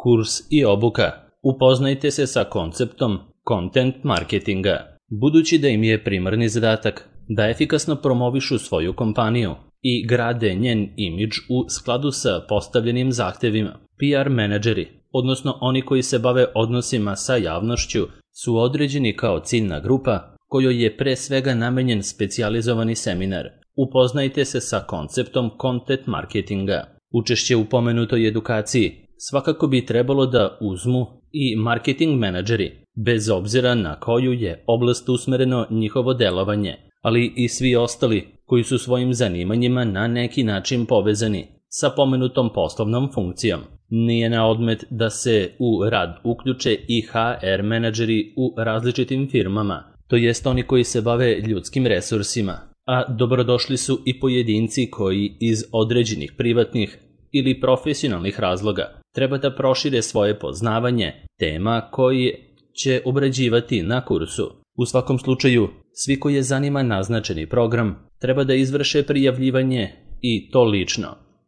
Kurs i obuka. Upoznajte se sa konceptom content marketinga. Budući da im je primarni zadatak da efikasno promovišu svoju kompaniju i grade njen imidž u skladu sa postavljenim zahtevima, PR menadžeri, odnosno oni koji se bave odnosima sa javnošću, su određeni kao ciljna grupa kojoj je pre svega namenjen specijalizovani seminar. Upoznajte se sa konceptom content marketinga. Učešće u pomenutoj edukaciji svakako bi trebalo da uzmu i marketing menadžeri, bez obzira na koju je oblast usmereno njihovo delovanje, ali i svi ostali koji su svojim zanimanjima na neki način povezani sa pomenutom poslovnom funkcijom. Nije na odmet da se u rad uključe i HR menadžeri u različitim firmama, to jest oni koji se bave ljudskim resursima, a dobrodošli su i pojedinci koji iz određenih privatnih ili profesionalnih razloga treba da prošire svoje poznavanje tema koje će obrađivati na kursu. U svakom slučaju, svi koji je zanima naznačeni program treba da izvrše prijavljivanje i to lično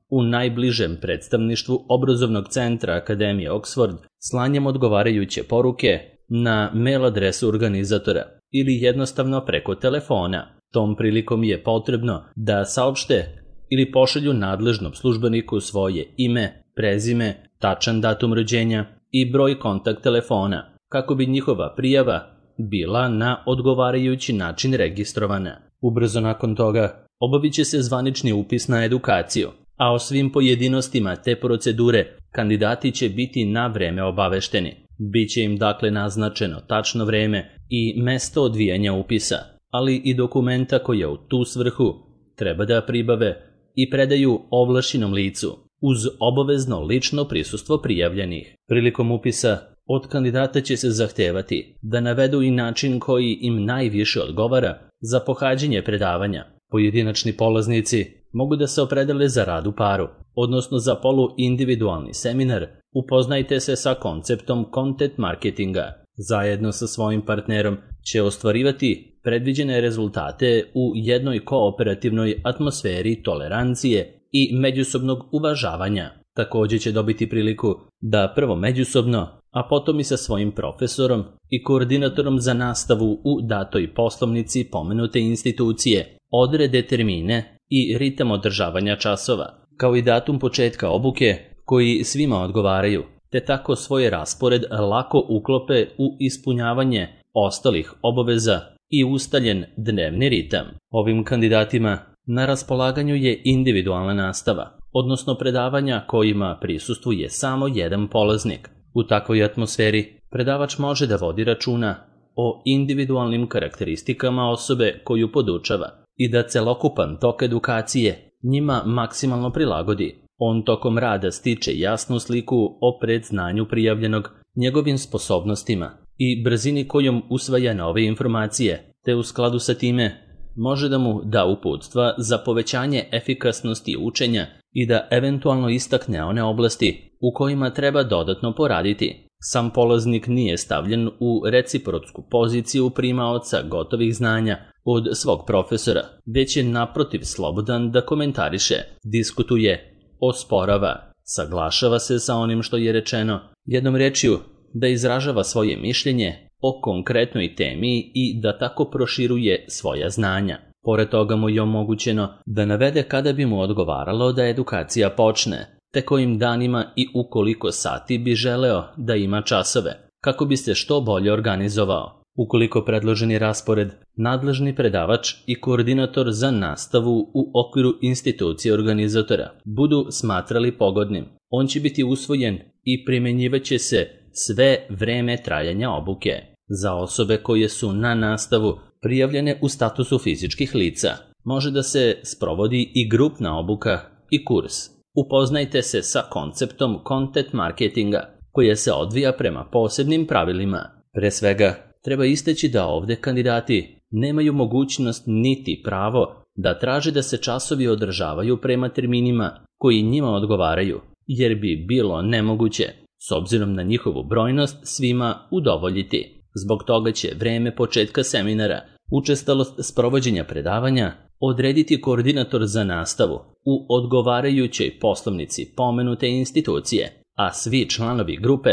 u najbližem predstavništvu obrazovnog centra Akademije Oxford slanjem odgovarajuće poruke na mail adresu organizatora ili jednostavno preko telefona. Tom prilikom je potrebno da saopšte ili pošalju nadležnom službeniku svoje ime, prezime, tačan datum rođenja i broj kontakt telefona, kako bi njihova prijava bila na odgovarajući način registrovana. Ubrzo nakon toga obavit će se zvanični upis na edukaciju, a o svim pojedinostima te procedure kandidati će biti na vreme obavešteni. Biće im dakle naznačeno tačno vreme i mesto odvijanja upisa, ali i dokumenta koje u tu svrhu treba da pribave i predaju ovlašćenom licu uz obavezno lično prisustvo prijavljenih. Prilikom upisa od kandidata će se zahtevati da navedu i način koji im najviše odgovara za pohađanje predavanja. Pojedinačni polaznici mogu da se opredele za rad u paru, odnosno za poluindividualni seminar. Upoznajte se sa konceptom content marketinga. Zajedno sa svojim partnerom će ostvarivati predviđene rezultate u jednoj kooperativnoj atmosferi tolerancije i međusobnog uvažavanja. Također će dobiti priliku da prvo međusobno, a potom i sa svojim profesorom i koordinatorom za nastavu u datoj poslovnici pomenute institucije odrede termine i ritam održavanja časova, kao i datum početka obuke koji svima odgovaraju, te tako svoj raspored lako uklope u ispunjavanje ostalih obaveza i ustaljen dnevni ritam. Ovim kandidatima na raspolaganju je individualna nastava, odnosno predavanja kojima prisustvuje samo jedan polaznik. U takvoj atmosferi predavač može da vodi računa o individualnim karakteristikama osobe koju podučava i da celokupan tok edukacije njima maksimalno prilagodi. On tokom rada stiče jasnu sliku o predznanju prijavljenog, njegovim sposobnostima i brzini kojom usvaja nove informacije, te u skladu sa time može da mu da uputstva za povećanje efikasnosti učenja i da eventualno istakne one oblasti u kojima treba dodatno poraditi. Sam polaznik nije stavljen u reciprotsku poziciju primaoca gotovih znanja od svog profesora, već je naprotiv slobodan da komentariše, diskutuje, osporava, saglašava se sa onim što je rečeno, jednom rečju da izražava svoje mišljenje o konkretnoj temi i da tako proširuje svoja znanja. Pored toga mu je omogućeno da navede kada bi mu odgovaralo da edukacija počne, te kojim danima i u koliko sati bi želeo da ima časove, kako bi se što bolje organizovao. Ukoliko predloženi raspored, nadležni predavač i koordinator za nastavu u okviru institucije organizatora budu smatrali pogodnim, on će biti usvojen i primjenjivaće se sve vreme trajanja obuke. Za osobe koje su na nastavu prijavljene u statusu fizičkih lica, može da se sprovodi i grupna obuka i kurs. Upoznajte se sa konceptom content marketinga, koja se odvija prema posebnim pravilima. Pre svega, treba istaći da ovde kandidati nemaju mogućnost niti pravo da traže da se časovi održavaju prema terminima koji njima odgovaraju, jer bi bilo nemoguće, s obzirom na njihovu brojnost, svima udovoljiti. Zbog toga će vreme početka seminara, učestalost sprovođenja predavanja odrediti koordinator za nastavu u odgovarajućoj poslovnici pomenute institucije, a svi članovi grupe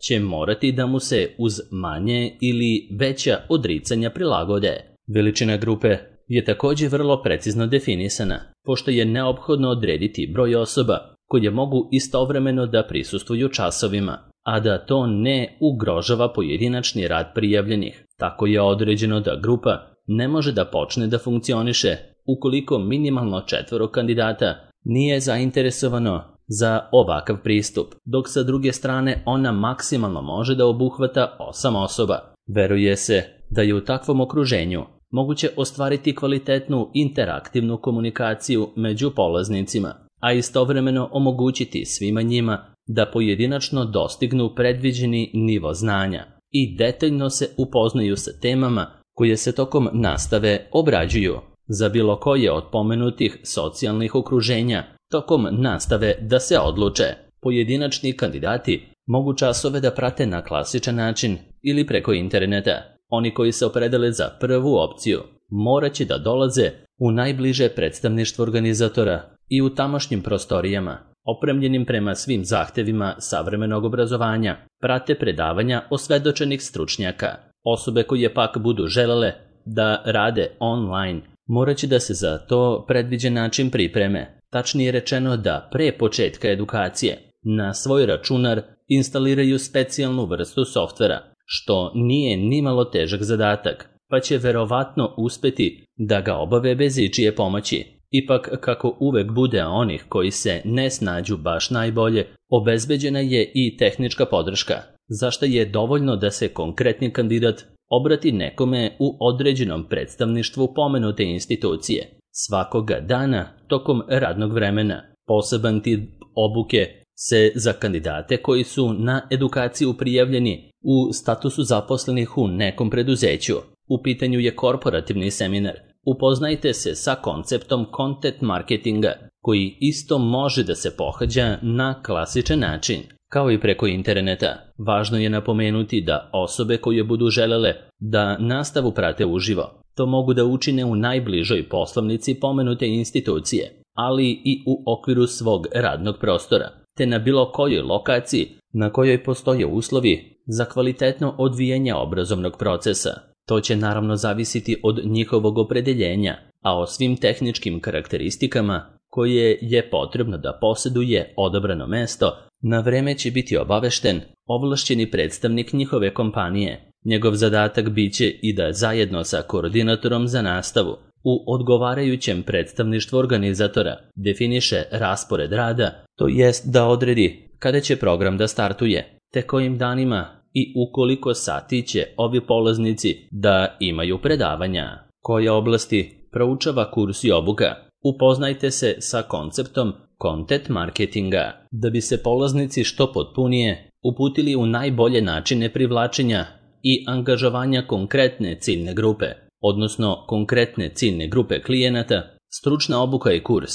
će morati da mu se uz manje ili veća odricanja prilagode. Veličina grupe je također vrlo precizno definisana, pošto je neophodno odrediti broj osoba koje mogu istovremeno da prisustvuju časovima, a da to ne ugrožava pojedinačni rad prijavljenih. Tako je određeno da grupa ne može da počne da funkcioniše ukoliko minimalno 4 kandidata nije zainteresovano za ovakav pristup, dok sa druge strane ona maksimalno može da obuhvata 8 osoba. Veruje se da je u takvom okruženju moguće ostvariti kvalitetnu interaktivnu komunikaciju među polaznicima, a istovremeno omogućiti svima njima da pojedinačno dostignu predviđeni nivo znanja i detaljno se upoznaju sa temama koje se tokom nastave obrađuju. Za bilo koje od pomenutih socijalnih okruženja tokom nastave da se odluče. Pojedinačni kandidati mogu časove da prate na klasičan način ili preko interneta. Oni koji se opredele za prvu opciju morat će da dolaze u najbliže predstavništvo organizatora i u tamošnjim prostorijama, opremljenim prema svim zahtevima savremenog obrazovanja, prate predavanja osvedočenih stručnjaka. Osobe koje pak budu želele da rade online morat će da se za to predviđen način pripreme. Tačnije rečeno da pre početka edukacije na svoj računar instaliraju specijalnu vrstu softvera, što nije nimalo težak zadatak, pa će verovatno uspeti da ga obave bez ičije pomoći. Ipak, kako uvek bude onih koji se ne snađu baš najbolje, obezbeđena je i tehnička podrška, za što je dovoljno da se konkretni kandidat obrati nekome u određenom predstavništvu pomenute institucije svakoga dana tokom radnog vremena. Poseban tip obuke se za kandidate koji su na edukaciju prijavljeni u statusu zaposlenih u nekom preduzeću. U pitanju je korporativni seminar. Upoznajte se sa konceptom content marketinga, koji isto može da se pohađa na klasičan način, kao i preko interneta. Važno je napomenuti da osobe koje budu želele da nastavu prate uživo, to mogu da učine u najbližoj poslovnici pomenute institucije, ali i u okviru svog radnog prostora, te na bilo kojoj lokaciji na kojoj postoje uslovi za kvalitetno odvijanje obrazovnog procesa. To će naravno zavisiti od njihovog opredeljenja, a o svim tehničkim karakteristikama koje je potrebno da posjeduje odabrano mesto, na vreme će biti obavešten ovlašćeni predstavnik njihove kompanije. Njegov zadatak biće i da zajedno sa koordinatorom za nastavu u odgovarajućem predstavništvu organizatora definiše raspored rada, to jest da odredi kada će program da startuje, te kojim danima i u koliko sati će ovi polaznici da imaju predavanja. Koje oblasti proučava kurs i obuka? Upoznajte se sa konceptom content marketinga, da bi se polaznici što potpunije uputili u najbolje načine privlačenja i angažovanja konkretne ciljne grupe, odnosno konkretne ciljne grupe klijenata. Stručna obuka i kurs.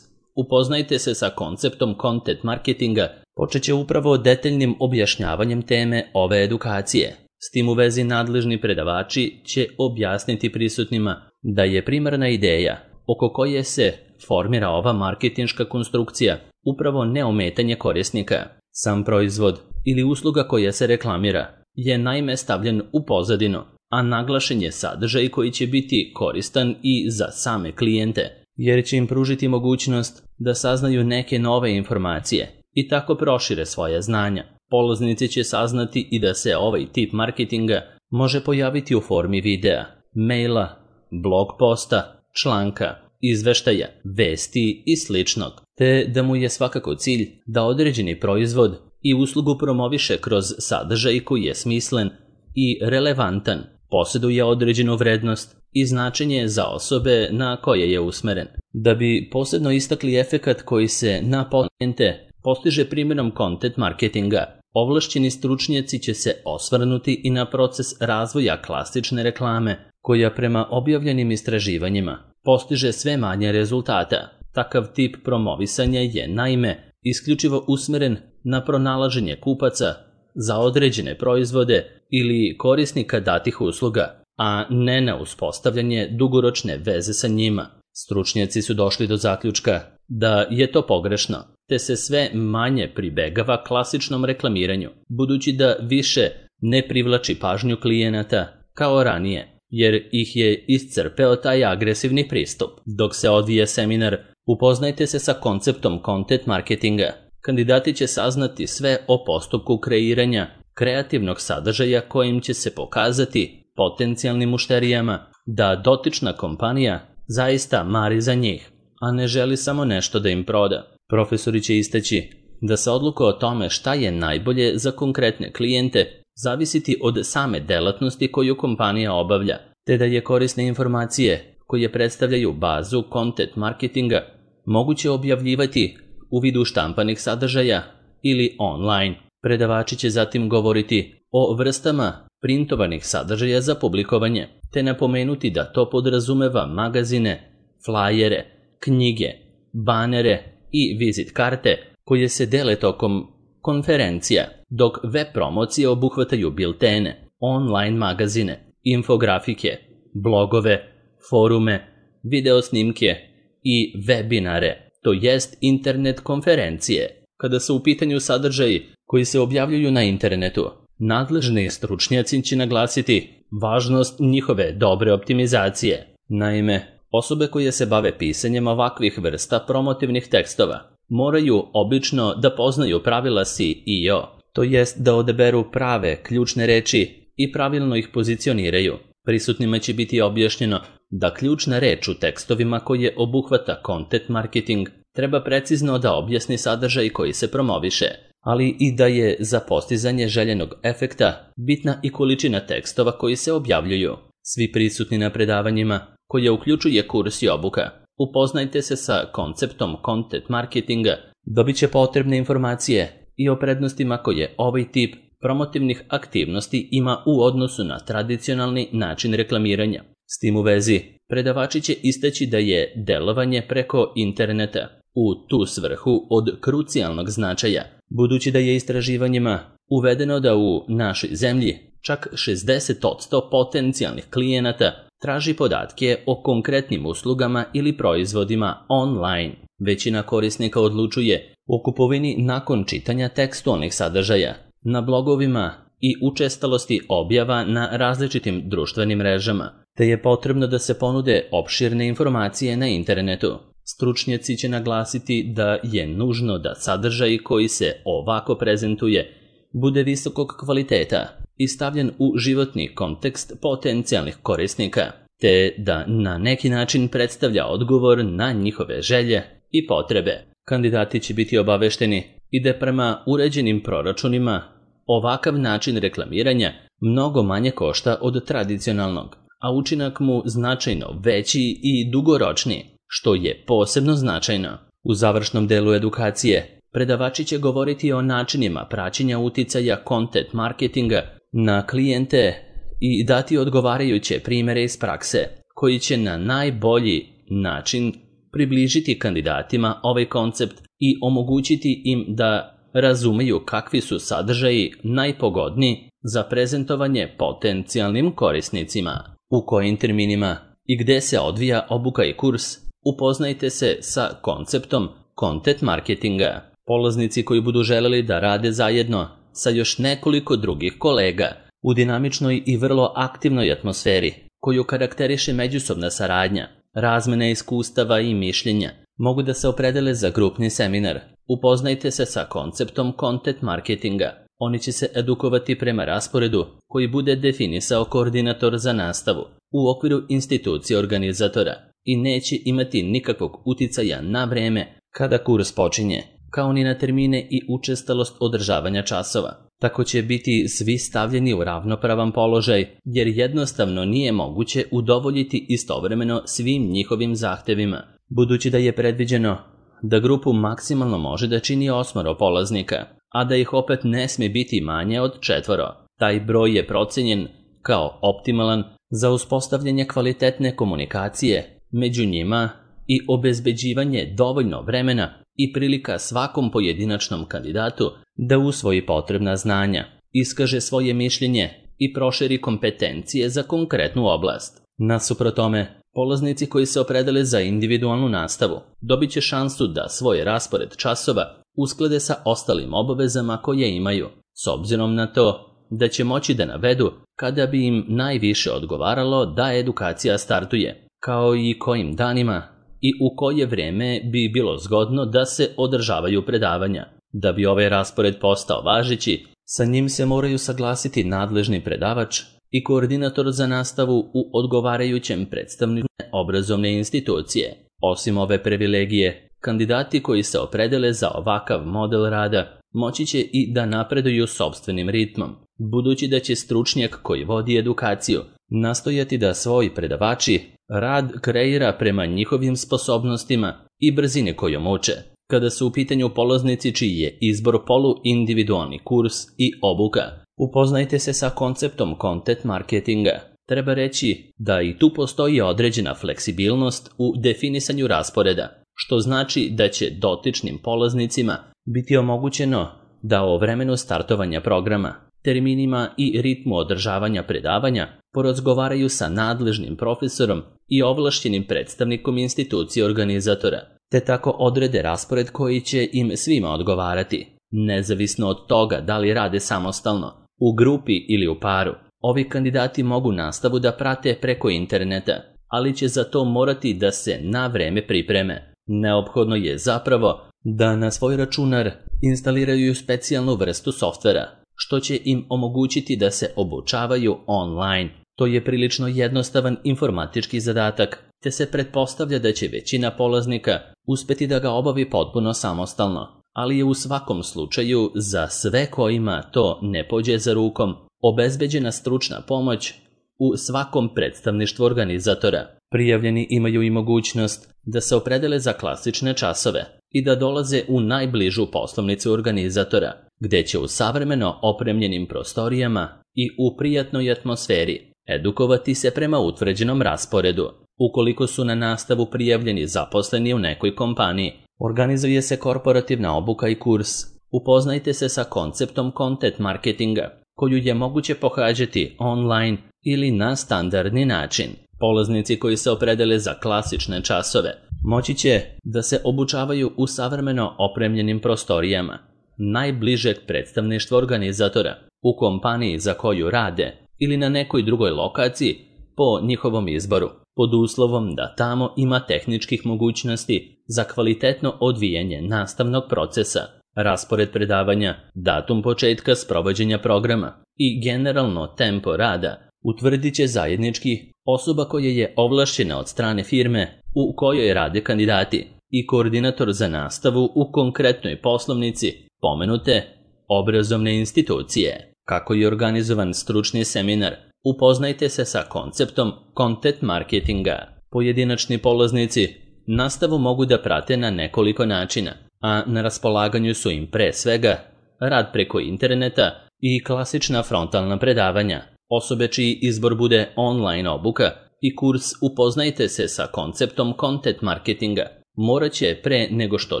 Upoznajte se sa konceptom content marketinga počet će upravo detaljnim objašnjavanjem teme ove edukacije. S tim u vezi nadležni predavači će objasniti prisutnima da je primarna ideja oko koje se formira ova marketinška konstrukcija upravo neometanje korisnika. Sam proizvod ili usluga koja se reklamira je naime stavljen u pozadinu, a naglašen je sadržaj koji će biti koristan i za same klijente, jer će im pružiti mogućnost da saznaju neke nove informacije i tako prošire svoje znanja. Polaznici će saznati i da se ovaj tip marketinga može pojaviti u formi videa, maila, blog posta, članka, izveštaja, vesti i sličnog, te da mu je svakako cilj da određeni proizvod i uslugu promoviše kroz sadržaj koji je smislen i relevantan, posjeduje određenu vrednost i značenje za osobe na koje je usmeren. Da bi posebno istakli efekat koji se na klijente postiže primjenom content marketinga, ovlašćeni stručnjaci će se osvrnuti i na proces razvoja klasične reklame, koja prema objavljenim istraživanjima postiže sve manje rezultata. Takav tip promovisanja je naime isključivo usmeren na pronalaženje kupaca za određene proizvode ili korisnika datih usluga, a ne na uspostavljanje dugoročne veze sa njima. Stručnjaci su došli do zaključka da je to pogrešno, te se sve manje pribegava klasičnom reklamiranju, budući da više ne privlači pažnju klijenata kao ranije, jer ih je iscrpeo taj agresivni pristup. Dok se odvije seminar Upoznajte se sa konceptom content marketinga, kandidati će saznati sve o postupku kreiranja kreativnog sadržaja kojim će se pokazati potencijalnim mušterijama da dotična kompanija zaista mari za njih, a ne želi samo nešto da im proda. Profesori će istaći da se odluka o tome šta je najbolje za konkretne klijente zavisiti od same delatnosti koju kompanija obavlja, te da je korisne informacije koje predstavljaju bazu content marketinga moguće objavljivati u vidu štampanih sadržaja ili online. Predavači će zatim govoriti o vrstama printovanih sadržaja za publikovanje, te napomenuti da to podrazumeva magazine, flajere, knjige, banere i vizit karte koje se dele tokom konferencija, dok web promocije obuhvataju biltene, online magazine, infografike, blogove, forume, videosnimke i webinare, to jest internet konferencije. Kada su u pitanju sadržaji koji se objavljuju na internetu, nadležni stručnjaci će naglasiti važnost njihove dobre optimizacije. Naime, osobe koje se bave pisanjem ovakvih vrsta promotivnih tekstova moraju obično da poznaju pravila SEO, to jest da odaberu prave ključne reči i pravilno ih pozicioniraju. Prisutnima će biti objašnjeno da ključna reč u tekstovima koje obuhvata content marketing treba precizno da objasni sadržaj koji se promoviše, ali i da je za postizanje željenog efekta bitna i količina tekstova koji se objavljuju. Svi prisutni na predavanjima, koje uključuje kurs i obuka, upoznajte se sa konceptom content marketinga, dobit će potrebne informacije i o prednostima koje ovaj tip promotivnih aktivnosti ima u odnosu na tradicionalni način reklamiranja. S tim u vezi, predavači će istaći da je delovanje preko interneta u tu svrhu od krucijalnog značaja, budući da je istraživanjima uvedeno da u našoj zemlji čak 60% potencijalnih klijenata traži podatke o konkretnim uslugama ili proizvodima online. Većina korisnika odlučuje o kupovini nakon čitanja tekstualnih sadržaja na blogovima i učestalosti objava na različitim društvenim mrežama, te je potrebno da se ponude opširne informacije na internetu. Stručnjaci će naglasiti da je nužno da sadržaj koji se ovako prezentuje bude visokog kvaliteta i stavljen u životni kontekst potencijalnih korisnika, te da na neki način predstavlja odgovor na njihove želje i potrebe. Kandidati će biti obavešteni i da prema uređenim proračunima ovakav način reklamiranja mnogo manje košta od tradicionalnog, a učinak mu značajno veći i dugoročniji, što je posebno značajno. U završnom delu edukacije predavači će govoriti o načinima praćenja uticaja content marketinga na klijente i dati odgovarajuće primjere iz prakse, koji će na najbolji način približiti kandidatima ovaj koncept i omogućiti im da razumeju kakvi su sadržaji najpogodniji za prezentovanje potencijalnim korisnicima. U kojim terminima i gde se odvija obuka i kurs, upoznajte se sa konceptom content marketinga. Polaznici koji budu želeli da rade zajedno sa još nekoliko drugih kolega u dinamičnoj i vrlo aktivnoj atmosferi koju karakteriše međusobna saradnja, razmena iskustava i mišljenja, mogu da se opredele za grupni seminar. Upoznajte se sa konceptom content marketinga. Oni će se edukovati prema rasporedu koji bude definisao koordinator za nastavu u okviru institucije organizatora i neće imati nikakvog uticaja na vreme kada kurs počinje, kao ni na termine i učestalost održavanja časova. Tako će biti svi stavljeni u ravnopravan položaj, jer jednostavno nije moguće udovoljiti istovremeno svim njihovim zahtevima, budući da je predviđeno da grupu maksimalno može da čini 8 polaznika, a da ih opet ne sme biti manje od 4. Taj broj je procenjen kao optimalan za uspostavljanje kvalitetne komunikacije među njima i obezbeđivanje dovoljno vremena i prilika svakom pojedinačnom kandidatu da usvoji potrebna znanja, iskaže svoje mišljenje i proširi kompetencije za konkretnu oblast. Nasuprot tome, Polaznici koji se opredele za individualnu nastavu dobit će šansu da svoj raspored časova usklade sa ostalim obavezama koje imaju, s obzirom na to da će moći da navedu kada bi im najviše odgovaralo da edukacija startuje, kao i kojim danima i u koje vrijeme bi bilo zgodno da se održavaju predavanja. Da bi ovaj raspored postao važeći, sa njim se moraju saglasiti nadležni predavač i koordinator za nastavu u odgovarajućem predstavniku obrazovne institucije. Osim ove privilegije, kandidati koji se opredele za ovakav model rada moći će i da napreduju sopstvenim ritmom, budući da će stručnjak koji vodi edukaciju nastojati da svoji predavači rad kreira prema njihovim sposobnostima i brzine kojom uče. Kada su u pitanju polaznici čiji je izbor polu-individualni kurs i obuka, upoznajte se sa konceptom content marketinga. Treba reći da i tu postoji određena fleksibilnost u definisanju rasporeda, što znači da će dotičnim polaznicima biti omogućeno da o vremenu startovanja programa, terminima i ritmu održavanja predavanja porazgovaraju sa nadležnim profesorom i ovlašćenim predstavnikom institucije organizatora, te tako odrede raspored koji će im svima odgovarati, nezavisno od toga da li rade samostalno, u grupi ili u paru. Ovi kandidati mogu nastavu da prate preko interneta, ali će za to morati da se na vreme pripreme. Neophodno je zapravo da na svoj računar instaliraju specijalnu vrstu softvera, što će im omogućiti da se obučavaju online. To je prilično jednostavan informatički zadatak, te se pretpostavlja da će većina polaznika uspeti da ga obavi potpuno samostalno, ali je u svakom slučaju za sve kojima to ne pođe za rukom obezbeđena stručna pomoć u svakom predstavništvu organizatora. Prijavljeni imaju i mogućnost da se opredele za klasične časove i da dolaze u najbližu poslovnicu organizatora, gde će u savremeno opremljenim prostorijama i u prijatnoj atmosferi edukovati se prema utvrđenom rasporedu. Ukoliko su na nastavu prijavljeni zaposleni u nekoj kompaniji, organizuje se korporativna obuka i kurs. Upoznajte se sa konceptom content marketinga, koju je moguće pohađati online ili na standardni način. Polaznici koji se opredele za klasične časove moći će da se obučavaju u savremeno opremljenim prostorijama najbližeg predstavništva organizatora u kompaniji za koju rade ili na nekoj drugoj lokaciji po njihovom izboru, pod uslovom da tamo ima tehničkih mogućnosti za kvalitetno odvijanje nastavnog procesa, raspored predavanja, datum početka sprovođenja programa i generalno tempo rada utvrdit će zajednički osoba koja je ovlašćena od strane firme u kojoj rade kandidati i koordinator za nastavu u konkretnoj poslovnici pomenute obrazovne institucije. Kako je organizovan stručni seminar, upoznajte se sa konceptom content marketinga. Pojedinačni polaznici nastavu mogu da prate na nekoliko načina, a na raspolaganju su im pre svega rad preko interneta i klasična frontalna predavanja. Osobe čiji izbor bude online obuka i kurs upoznajte se sa konceptom content marketinga morat će pre nego što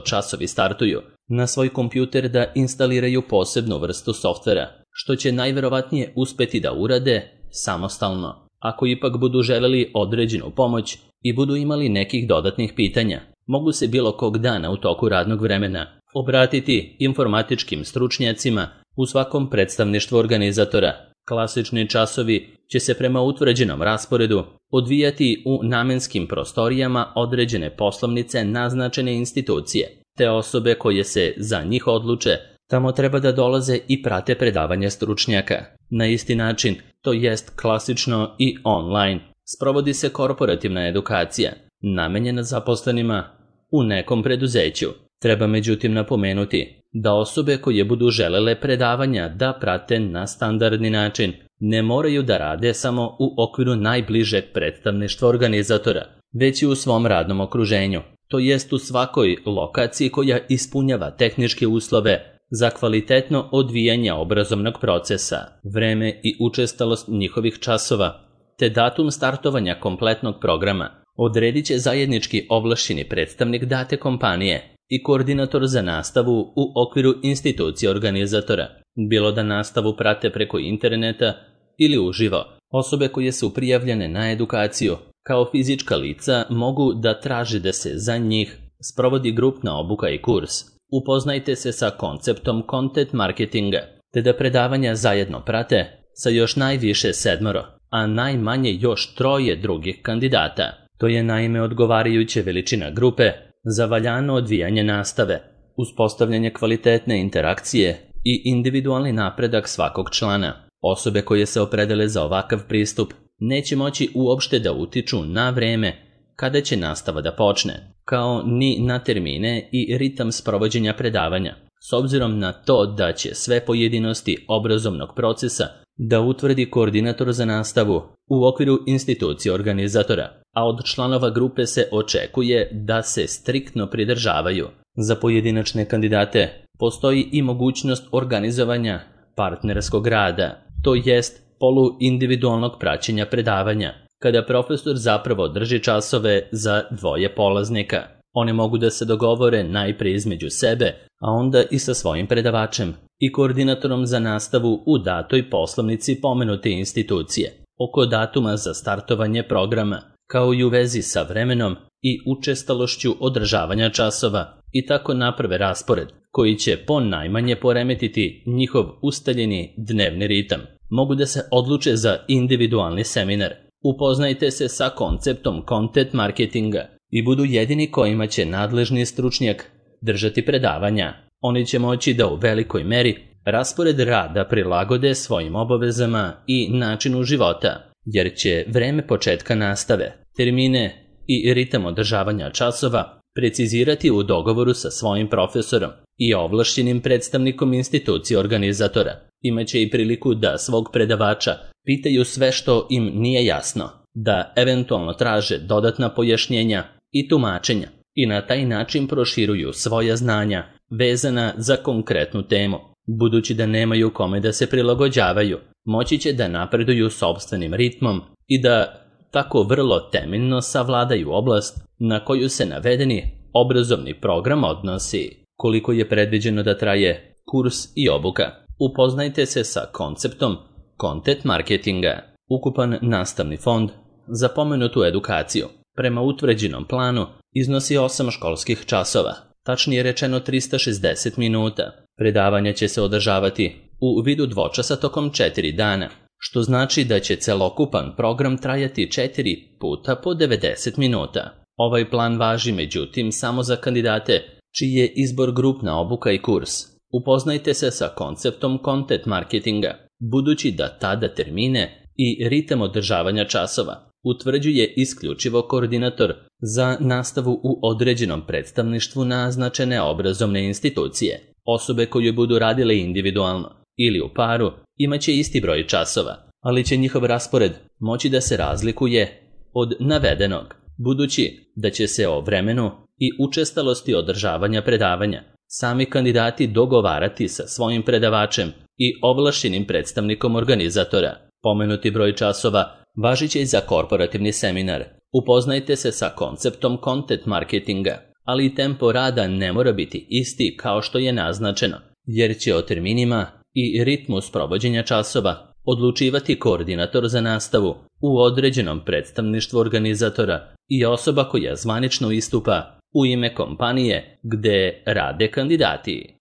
časovi startuju na svoj kompjuter da instaliraju posebnu vrstu softvera, što će najverovatnije uspeti da urade samostalno. Ako ipak budu želeli određenu pomoć i budu imali nekih dodatnih pitanja, mogu se bilo kog dana u toku radnog vremena obratiti informatičkim stručnjacima u svakom predstavništvu organizatora. Klasični časovi će se prema utvrđenom rasporedu odvijati u namenskim prostorijama određene poslovnice naznačene institucije. Te osobe koje se za njih odluče tamo treba da dolaze i prate predavanja stručnjaka. Na isti način, to jest klasično i online, sprovodi se korporativna edukacija, namenjena zaposlenima u nekom preduzeću. Treba međutim napomenuti da osobe koje budu želele predavanja da prate na standardni način ne moraju da rade samo u okviru najbližeg predstavništva organizatora, već i u svom radnom okruženju, to jest u svakoj lokaciji koja ispunjava tehničke uslove za kvalitetno odvijanje obrazovnog procesa. Vreme i učestalost njihovih časova te datum startovanja kompletnog programa odredit će zajednički ovlašćeni predstavnik date kompanije i koordinator za nastavu u okviru institucije organizatora, bilo da nastavu prate preko interneta ili uživo. Osobe koje su prijavljene na edukaciju, kao fizička lica mogu da traže da se za njih sprovodi grupna obuka i kurs. Upoznajte se sa konceptom content marketinga, te da predavanja zajedno prate sa još najviše 7, a najmanje još 3 drugih kandidata. To je naime odgovarajuća veličina grupe za valjano odvijanje nastave, uspostavljanje kvalitetne interakcije i individualni napredak svakog člana. Osobe koje se opredele za ovakav pristup neće moći uopšte da utiču na vreme kada će nastava da počne, kao ni na termine i ritam sprovođenja predavanja, s obzirom na to da će sve pojedinosti obrazovnog procesa da utvrdi koordinator za nastavu u okviru institucije organizatora, a od članova grupe se očekuje da se striktno pridržavaju. Za pojedinačne kandidate postoji i mogućnost organizovanja partnerskog rada, to jest poluindividualnog praćenja predavanja, kada profesor zapravo drži časove za 2 polaznika. One mogu da se dogovore najpre između sebe, a onda i sa svojim predavačem i koordinatorom za nastavu u datoj poslovnici pomenute institucije, oko datuma za startovanje programa, kao i u vezi sa vremenom i učestalošću održavanja časova, i tako naprave raspored, koji će najmanje poremetiti njihov ustaljeni dnevni ritam. Mogu da se odluče za individualni seminar. Upoznajte se sa konceptom content marketinga i budu jedini kojima će nadležni stručnjak držati predavanja. Oni će moći da u velikoj meri raspored rada prilagode svojim obavezama i načinu života, jer će vreme početka nastave, termine i ritam održavanja časova precizirati u dogovoru sa svojim profesorom i ovlašćenim predstavnikom institucije organizatora. Imaće i priliku da svog predavača pitaju sve što im nije jasno, da eventualno traže dodatna pojašnjenja i tumačenja i na taj način proširuju svoja znanja vezana za konkretnu temu. Budući da nemaju kome da se prilagođavaju, moći će da napreduju sopstvenim ritmom i da tako vrlo temeljno savladaju oblast na koju se navedeni obrazovni program odnosi. Koliko je predviđeno da traje kurs i obuka? Upoznajte se sa konceptom content marketinga. Ukupan nastavni fond za pomenutu edukaciju prema utvrđenom planu iznosi 8 školskih časova, tačnije rečeno 360 minuta. Predavanja će se održavati u vidu dvočasa tokom 4 dana, što znači da će celokupan program trajati 4 puta po 90 minuta. Ovaj plan važi međutim samo za kandidate čiji je izbor grupna obuka i kurs. Upoznajte se sa konceptom content marketinga, budući da tada termine i ritam održavanja časova utvrđuje isključivo koordinator za nastavu u određenom predstavništvu naznačene obrazovne institucije. Osobe koje budu radile individualno ili u paru imaće isti broj časova, ali će njihov raspored moći da se razlikuje od navedenog, budući da će se o vremenu i učestalosti održavanja predavanja sami kandidati dogovarati sa svojim predavačem i ovlašćenim predstavnikom organizatora. Pomenuti broj časova važit će i za korporativni seminar. Upoznajte se sa konceptom content marketinga, ali i tempo rada ne mora biti isti kao što je naznačeno, jer će o terminima i ritmu sprovođenja časova odlučivati koordinator za nastavu u određenom predstavništvu organizatora i osoba koja zvanično istupa u ime kompanije gde rade kandidati.